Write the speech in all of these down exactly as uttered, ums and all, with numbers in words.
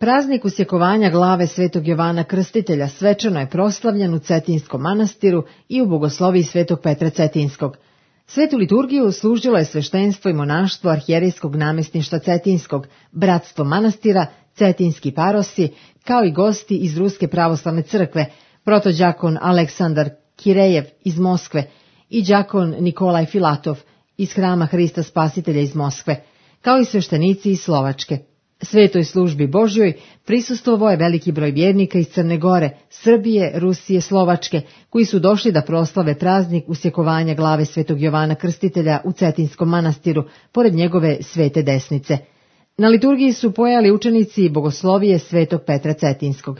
Praznik usjekovanja glave svetog Jovana Krstitelja svečano je proslavljen u Cetinskom manastiru i u bogosloviji svetog Petra Cetinskog. Svetu liturgiju služilo je sveštenstvo i monaštvo arhijerejskog namestništva Cetinskog, bratstvo manastira, cetinski parosi, kao i gosti iz Ruske pravoslavne crkve, protođakon Aleksandar Kirejev iz Moskve i đakon Nikolaj Filatov iz Hrama Hrista Spasitelja iz Moskve, kao i sveštenici iz Slovačke. Svetoj službi Božjoj prisustvovao je veliki broj vjernika iz Crne Gore, Srbije, Rusije, Slovačke, koji su došli da proslave praznik usjekovanja glave svetog Jovana Krstitelja u Cetinskom manastiru, pored njegove svete desnice. Na liturgiji su pojali učenici bogoslovije svetog Petra Cetinskog.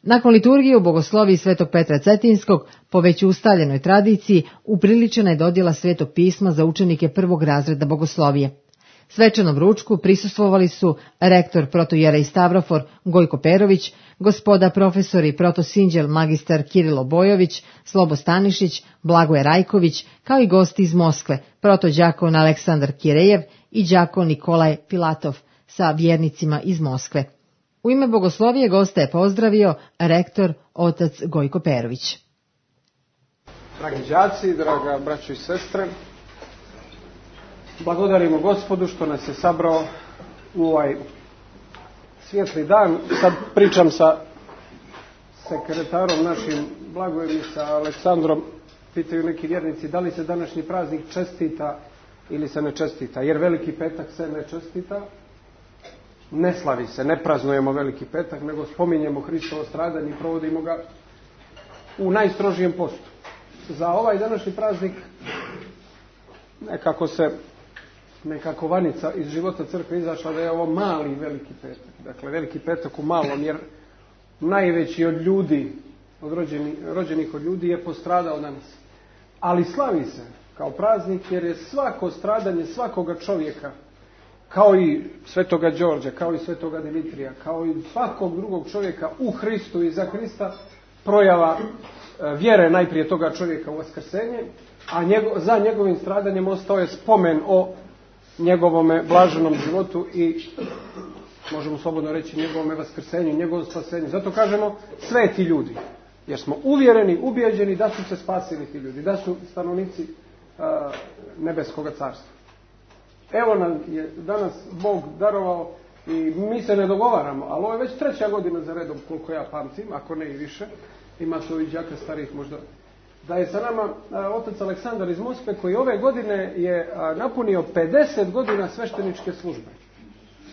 Nakon liturgije u bogosloviji svetog Petra Cetinskog, po već ustaljenoj tradiciji, upriličena je dodjela svetog pisma za učenike prvog razreda bogoslovije. Svečanom ručku prisustvovali su rektor protojerej Stavrofor Gojko Perović, gospoda profesori protosinđel magistar Kirilo Bojović, Slobo Stanišić, Blagoje Rajković, kao i gosti iz Moskve, protođakon Aleksandar Kirejev i đakon Nikolaj Filatov sa vjernicima iz Moskve. U ime bogoslovije gosta je pozdravio rektor otac Gojko Perović. Dragi đaci, draga braćo i sestre, blagodarimo Gospodu što nas je sabrao u ovaj svijetli dan. Sad pričam sa sekretarom našim Blagojem i sa Aleksandrom. Pitaju neki vjernici da li se današnji praznik čestita ili se ne čestita. Jer Veliki petak se ne čestita, ne slavi se, ne praznujemo Veliki petak, nego spominjemo Hristovo stradanje i provodimo ga u najstrožijem postu. Za ovaj današnji praznik nekako se nekako vanica iz života crkve izašla da je ovo mali Veliki petak. Dakle, Veliki petak u malom, jer najveći od ljudi, od rođeni, rođenih od ljudi je postradao danas. Ali slavi se kao praznik jer je svako stradanje svakoga čovjeka, kao i svetoga Đorđa, kao i svetoga Dimitrija, kao i svakog drugog čovjeka u Hristu i za Hrista, projava vjere najprije toga čovjeka u vaskrsenje, a njego, za njegovim stradanjem ostao je spomen o njegovome blaženom životu i, možemo slobodno reći, njegovome vaskrsenju, njegovom spasenju. Zato kažemo sveti ljudi, jer smo uvjereni, ubijeđeni da su se spasili ti ljudi, da su stanovnici uh, nebeskoga carstva. Evo nam je danas Bog darovao i mi se ne dogovaramo, ali ovo je već treća godina za redom, koliko ja pamtim, ako ne i više, ima to i đaka starijih možda, da je sa nama a, otac Aleksandar iz Moskve, koji ove godine je a, napunio pedeset godina svešteničke službe.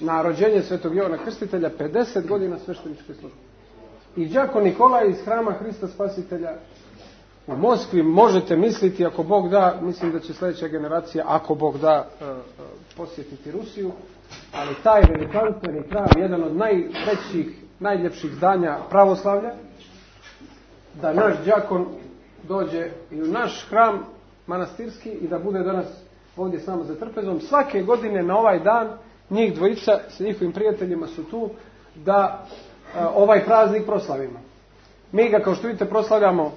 Na rođenje svetog Jovana Krstitelja pedeset godina svešteničke službe. I đakon Nikolaj iz Hrama Hrista Spasitelja u Moskvi, možete misliti, ako Bog da, mislim da će sljedeća generacija, ako Bog da, a, a, posjetiti Rusiju, ali taj velikanstveni hram, jedan od najvećih, najljepših zdanja pravoslavlja, da naš đakon dođe i u naš hram manastirski i da bude danas ovdje s nama za trpezom. Svake godine na ovaj dan njih dvojica sa njihovim prijateljima su tu da a, ovaj praznik proslavimo. Mi ga, kao što vidite, proslavljamo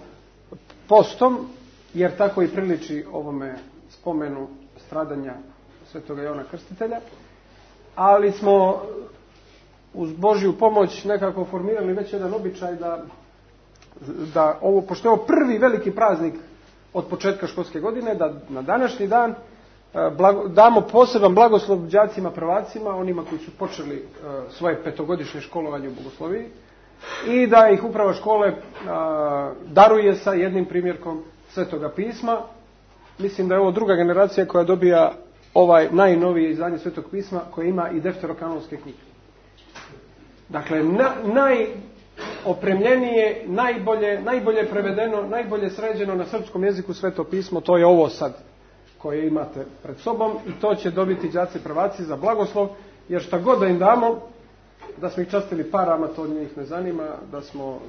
postom, jer tako i priliči ovome spomenu stradanja svetoga Jovana Krstitelja, ali smo uz Božju pomoć nekako formirali već jedan običaj da da ovo, pošto je ovo prvi veliki praznik od početka školske godine, da na današnji dan blago, damo poseban blagoslov đacima prvacima, onima koji su počeli uh, svoje petogodišnje školovanje u bogosloviji, i da ih uprava škole uh, daruje sa jednim primjerkom Svetoga pisma. Mislim da je ovo druga generacija koja dobija ovaj najnovije izdanje Svetog pisma, koje ima i defterokanonske knjige. Dakle, na, naj opremljenije, najbolje, najbolje prevedeno, najbolje sređeno na srpskom jeziku Sveto pismo, to je ovo sad koje imate pred sobom, i to će dobiti đaci prvaci za blagoslov, jer šta god da im damo, da smo ih častili parama, to njih ne zanima, da smo,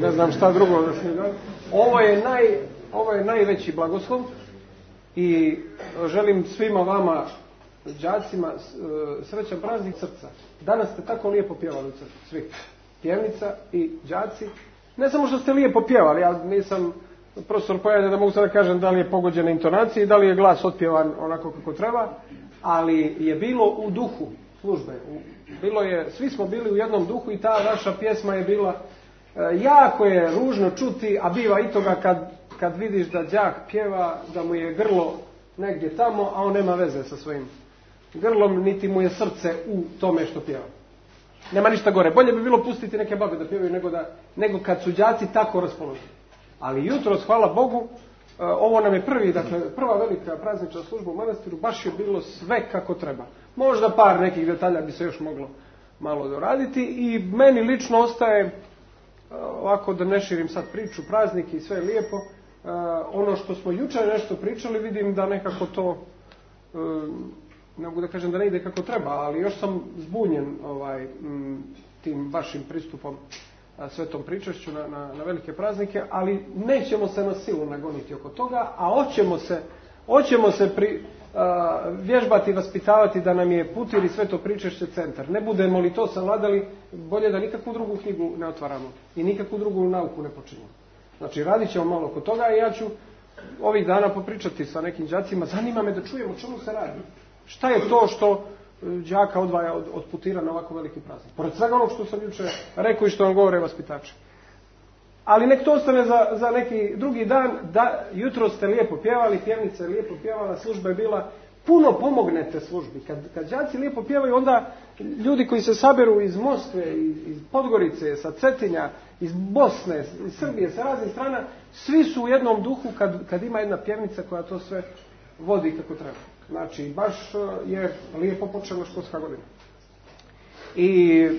ne znam šta drugo da smo ih dali. Ovo je, naj, ovo je najveći blagoslov i želim svima vama, đacima, srećan praznik srca. Danas ste tako lijepo pjevali u crkvi, svi. Pjevnica i đaci. Ne samo što ste lijepo pjevali, ja nisam profesor pojavlja da mogu sada kažem da li je pogođena intonacija i da li je glas otpjevan onako kako treba, ali je bilo u duhu, službe. Bilo je, svi smo bili u jednom duhu i ta naša pjesma je bila, jako je ružno čuti, a biva i toga kad, kad vidiš da đak pjeva, da mu je grlo negdje tamo, a on nema veze sa svojim grlom, niti mu je srce u tome što pjeva. Nema ništa gore. Bolje bi bilo pustiti neke babe da pjevaju nego, da, nego kad su đaci tako raspoloženi. Ali jutros, hvala Bogu, ovo nam je prvi, dakle, prva velika praznična služba u manastiru, baš je bilo sve kako treba. Možda par nekih detalja bi se još moglo malo doraditi i meni lično ostaje, ovako da ne širim sad priču, praznik i sve je lijepo, ono što smo jučer nešto pričali, vidim da nekako to, ne mogu da kažem da ne ide kako treba, ali još sam zbunjen ovaj, tim vašim pristupom svetom pričašću na, na, na velike praznike, ali nećemo se na silu nagoniti oko toga, a hoćemo se, hoćemo se pri, a, vježbati, vaspitavati da nam je Putir i sveto pričašće centar. Ne budemo li to savladali, bolje da nikakvu drugu knjigu ne otvaramo i nikakvu drugu nauku ne počinjemo. Znači, radit ćemo malo oko toga i ja ću ovih dana popričati sa nekim đacima. Zanima me da čujemo o čemu se radi. Šta je to što đaka odvaja od, od Putira na ovako veliki praznik? Pored svega onog što sam jučer rekao i što vam govore vaspitači. Ali nek to ostane za, za neki drugi dan, da jutro ste lijepo pjevali, pjevnica je lijepo pjevala, služba je bila, puno pomognete službi. Kad, kad đaci lijepo pjevaju, onda ljudi koji se saberu iz Moskve, iz, iz Podgorice, sa Cetinja, iz Bosne, iz Srbije, sa raznih strana, svi su u jednom duhu kad, kad ima jedna pjevnica koja to sve vodi kako treba. Znači, baš je lijepo počela školska godina. I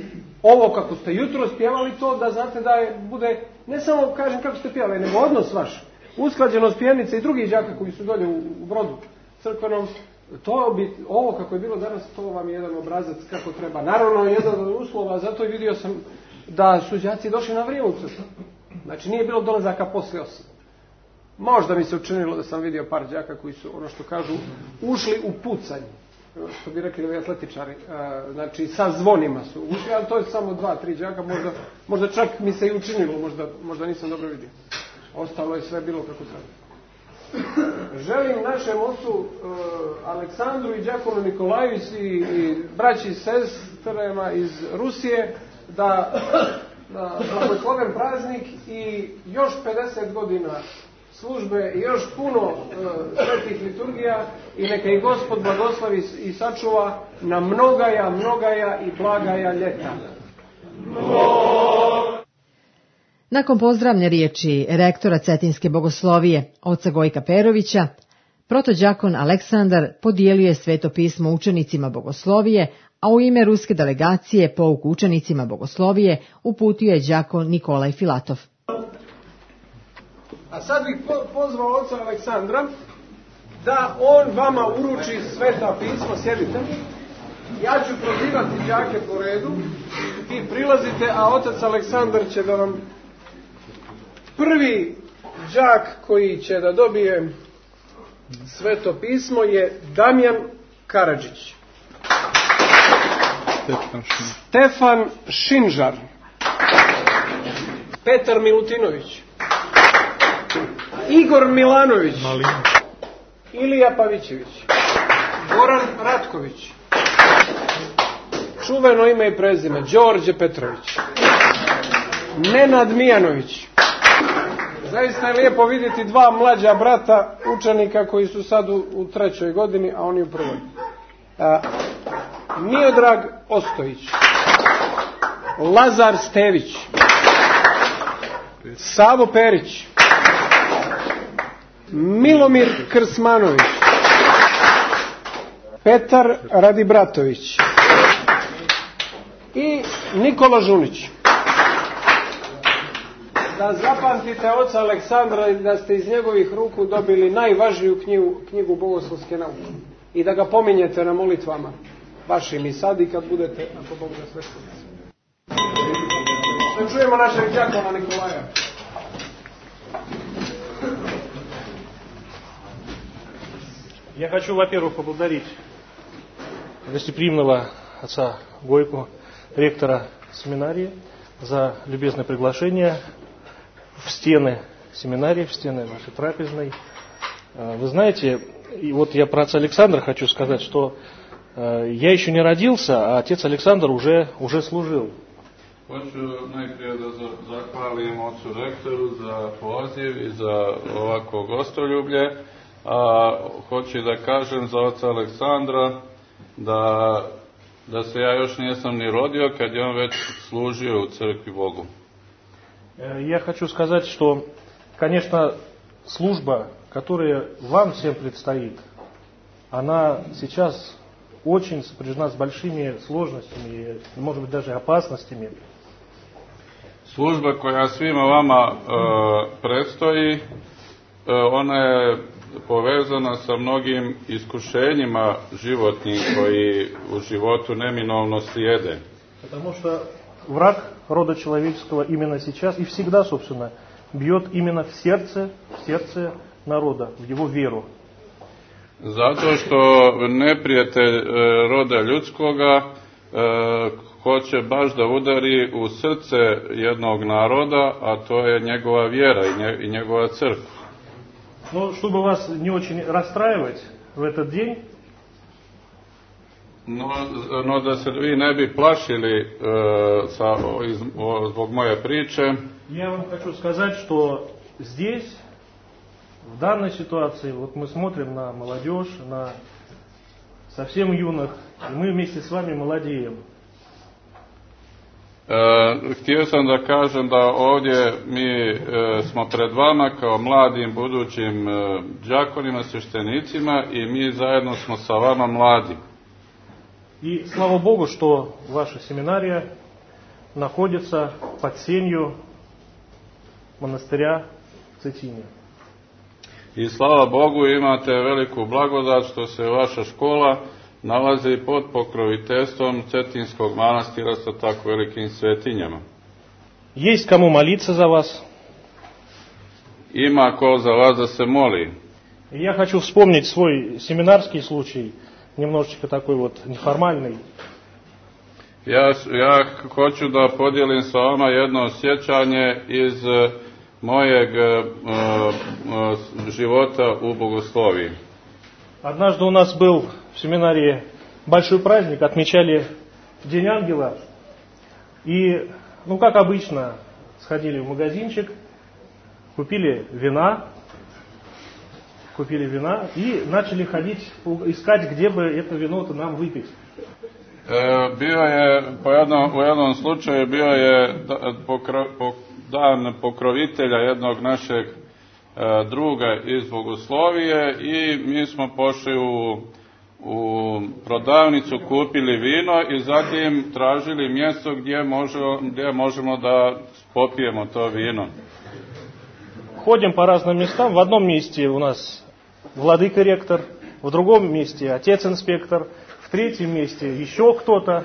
ovo kako ste jutro spjevali to, da znate da je, bude, ne samo kažem kako ste pjevali, nego odnos vaš, usklađenost pjevnice i drugih đaka koji su dolje u, u Brodu crkvenom, to bi, ovo kako je bilo danas, to vam je jedan obrazac kako treba. Naravno, jedan od uslova, zato i vidio sam da su đaci došli na vrijeme u crkvu. Znači, nije bilo dolazaka poslije osam. Možda mi se učinilo da sam vidio par đaka koji su, ono što kažu, ušli u pucanje. Što bi rekli ovi atletičari. Znači, sa zvonima su ušli, ali to je samo dva, tri đaka. Možda, možda čak mi se i učinilo, možda, možda nisam dobro vidio. Ostalo je sve bilo kako treba. Želim našem ocu uh, Aleksandru i đakonu Nikolaju i, i braći i sestrema iz Rusije da, da blagosloven praznik i još pedeset godina službe i još puno uh, svetih liturgija i neka i Gospod blagoslovi i sačuva na mnogaja, mnogaja i blagaja ljeta. Nakon pozdravne riječi rektora Cetinske bogoslovije, oca Gojka Perovića, protođakon Aleksandar podijelio je sveto pismo učenicima bogoslovije, a u ime ruske delegacije pouk učenicima bogoslovije uputio je đakon Nikolaj Filatov. A sad bih pozvao oca Aleksandra da on vama uruči sveta pismo, sjedite. Ja ću prozivati đake po redu i prilazite, a otac Aleksandar će da vam... Prvi đak koji će da dobije sveto pismo je Damjan Karadžić. Stefan Šinžar. Petar Milutinović. Igor Milanović. Ilija Pavićević. Goran Ratković. Čuveno ime i prezime Đorđe Petrović. Nenad Mijanović. Zaista je lijepo vidjeti dva mlađa brata učenika koji su sad u, u trećoj godini, a oni u prvoj. A, Miodrag Ostojić. Lazar Stević. Savo Perić. Milomir Krsmanović. Petar Radibratović. I Nikola Žunić. Da zapamtite oca Aleksandra i da ste iz njegovih ruku dobili najvažniju knjigu, knjigu bogoslovske nauke. I da ga pominjete na molitvama vašim i sad i kad budete, ako Bog da sve što. Da čujemo našeg đakona Nikolaja. Я хочу, во-первых, поблагодарить гостеприимного отца Гойку, ректора семинарии, за любезное приглашение в стены семинарии, в стены нашей трапезной. Вы знаете, и вот я про отца Александра хочу сказать, что Я еще не родился, а отец Александр уже, уже служил. Hoću najprije da zahvalim ocu rektoru za poziv i za ovako gostoljublje, a hoću da kažem za oca Aleksandra da, da se ja još nisam ni rodio kad je on već služio u crkvi Bogu. Я хочу сказать, что, конечно, служба, которая вам всем предстоит, она сейчас очень сопряжена с большими сложностями, может быть, даже опасностями. Služba koja svima vama e, predstoji, e, ona je povezana sa mnogim iskušenjima životnim koji u životu neminovno slijede. Потому что враг рода человеческого именно сейчас и всегда, собственно, бьет именно в сердце, в сердце народа, в его веру. Zato što neprijatelj e, roda ljudskoga e, hoće baš da udari u srce jednog naroda, a to je njegova vjera i, nje, i njegova crkva. Но чтобы вас не очень расстраивать в этот день, no, no da se vi ne bi plašili e, sa, iz, o, zbog moje priče, я вам хочу сказать, что здесь, в данной ситуации, вот мы смотрим на молодежь, на совсем юных, и мы вместе с вами молодеем. E, htio sam da kažem da ovdje mi e, smo pred vama kao mladim budućim e, đakonima, sveštenicima i mi zajedno smo sa vama mladi. И слава Богу, что ваша семинария находится под сенью монастыря в Цетине. I slava Bogu, imate veliku blagodat što se vaša škola nalazi pod pokroviteljstvom Cetinskog manastira sa tako velikim svetinjama. Есть кому молиться за вас. Ima ko za vas da se moli. И я хочу вспомнить свой семинарский случай, немножечко такой вот неформальный. Ja, ja hoću da podijelim sa vama jedno sjećanje iz mojeg uh, uh, života u bogosloviji. Однажды у нас был в семинарии большой праздник, отмечали День Ангела. И, ну как обычно, сходили в магазинчик, купили вина, купили вина и начали ходить, искать, где бы это вино-то нам выпить. Bio je, po jednom, u jednom slučaju, bio je pokro, po, dan pokrovitelja jednog našeg e, druga iz bogoslovije i mi smo pošli u, u prodavnicu, kupili vino i zatim tražili mjesto gdje, može, gdje možemo da popijemo to vino. Ходим по разным местам. В одном месте у нас владыка-ректор, в другом месте отец-инспектор, в третьем месте еще кто-то.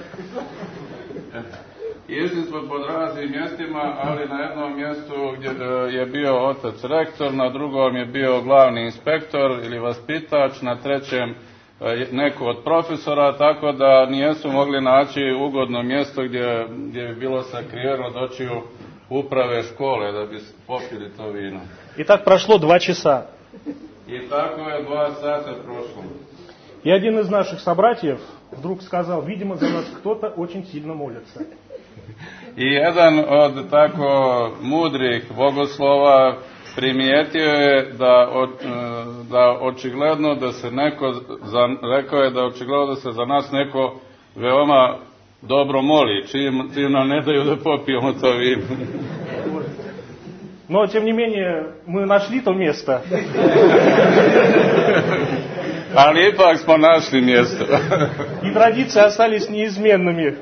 Išli smo po raznim mjestima, ali na jednom mjestu gdje je bio otac rektor, na drugom je bio glavni inspektor ili vaspitač, na trećem neko od profesora, tako da nijesu mogli naći ugodno mjesto gdje, gdje bi bilo sakriveno od očiju uprave škole da bi popili to vino. И так прошло два часа. I tako je dva sata prošlo. И один из наших собратьев вдруг сказал, видимо, за нас кто-то очень сильно молится. I jedan od tako mudrih bogoslova primijetio je da, o, da očigledno da se neko, za, rekao je da očigledno da se za nas neko veoma dobro moli, čim, čim nam ne daju da popijemo to vino. Но, тем не менее, мы нашли то место. Ali ipak smo našli mjesto. И традиции остались неизменными.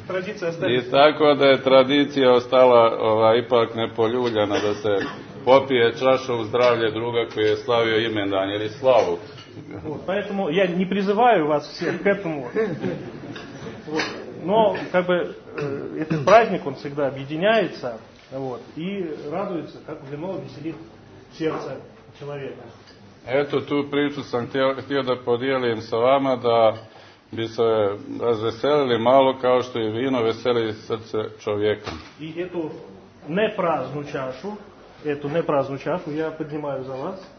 Традиции остались. I tako da je tradicija ostala ova, ipak nepoljuljana da se popije čaša u zdravlje druga koji je slavio imendan ili slavu. Вот, поэтому я не призываю вас всех к этому. Вот. Но как бы э, этот праздник, он всегда объединяется. Вот, и радуется, как вино веселит сердце человека. Eto, tu priču sam htio, htio da podijelim sa vama da bi se razveselili malo kao što i vino veseli srce čovjeka. И эту непраздную чашу, эту непраздную чашу я поднимаю за вас.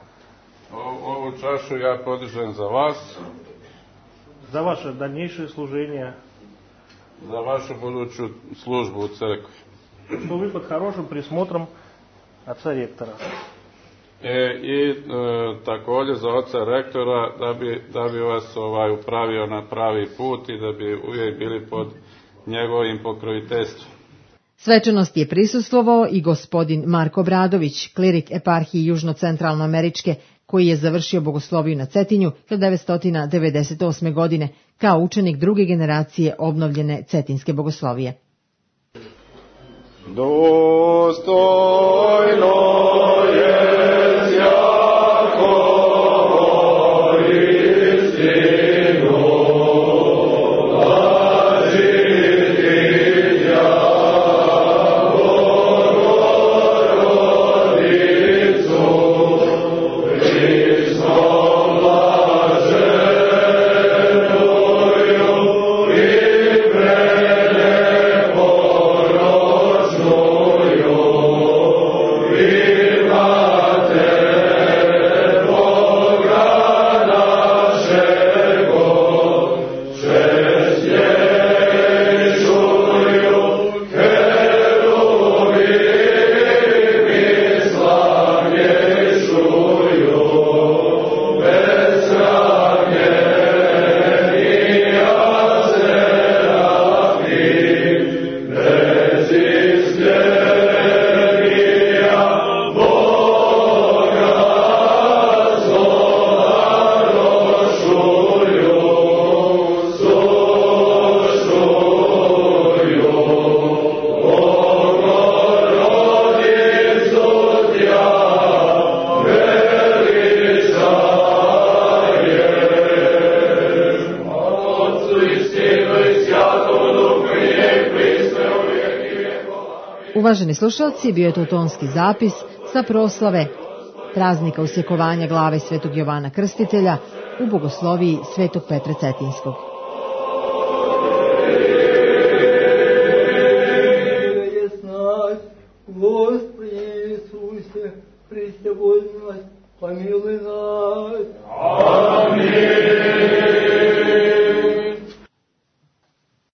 O, ovu čašu ja podižem za vas. за ваше дальнейшее служение, za vašu buduću službu u crkvi. Что вы под хорошим присмотром отца ректора. E, I e, također za oca rektora da bi, da bi vas ovaj, upravio na pravi put i da bi uvijek bili pod njegovim pokroviteljstvom. Svečanosti je prisustvovao i gospodin Marko Bradović, klirik eparhiji Južno-Centralnoameričke, koji je završio bogosloviju na Cetinju hiljadu devetsto devedeset osme. godine kao učenik druge generacije obnovljene cetinske bogoslovije. Dostojno je Uvaženi slušalci, bio je to tonski zapis sa proslave praznika usjekovanja glave svetog Jovana Krstitelja u bogosloviji svetog Petra Cetinskog. Господи Иисусе, Христе, помилуй нас. Аминь.